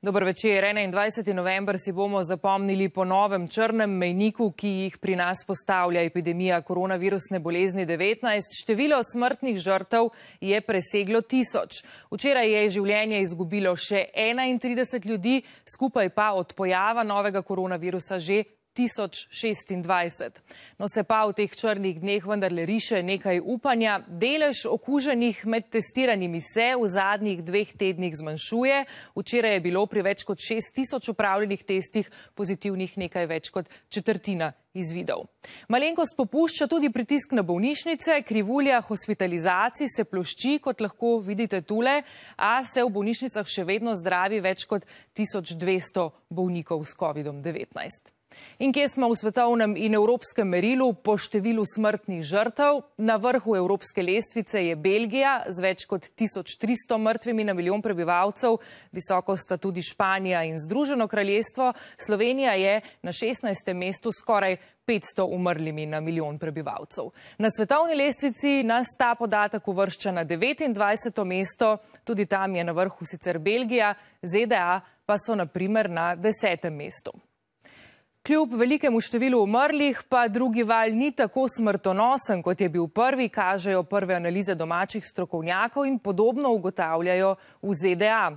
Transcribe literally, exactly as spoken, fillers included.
Dober večer. enaindvajseti november si bomo zapomnili po novem črnem mejniku, ki jih pri nas postavlja epidemija koronavirusne bolezni devetnajst. Število smrtnih žrtev je preseglo tisoč. Včeraj je življenje izgubilo še enaintrideset ljudi, skupaj pa od pojava novega koronavirusa že tisoč šestindvajset. No, se pa v teh črnih dneh vendarle riše nekaj upanja. Delež okuženih med testiranimi se v zadnjih dveh tednih zmanjšuje. Včeraj je bilo pri več kot šest tisoč opravljenih testih pozitivnih nekaj več kot četrtina izvidov. Malenkost popušča tudi pritisk na bolnišnice, krivulja hospitalizacij se plošči, kot lahko vidite tule, a se v bolnišnicah še vedno zdravi več kot tisoč dvesto bolnikov s kovidom devetnajst. In kje smo v svetovnem in evropskem merilu po številu smrtnih žrtev? Na vrhu evropske lestvice je Belgija z več kot tisoč tristo mrtvimi na milijon prebivalcev, visoko sta tudi Španija in Združeno kraljestvo, Slovenija je na šestnajstem mestu skoraj petsto umrlimi na milijon prebivalcev. Na svetovni lestvici nas ta podatek uvršča na devetindvajseto mesto, tudi tam je na vrhu sicer Belgija, ZDA pa so na primer na desetem mestu. Kljub velikemu številu umrlih pa drugi val ni tako smrtonosen, kot je bil prvi, kažejo prve analize domačih strokovnjakov in podobno ugotavljajo v ZDA.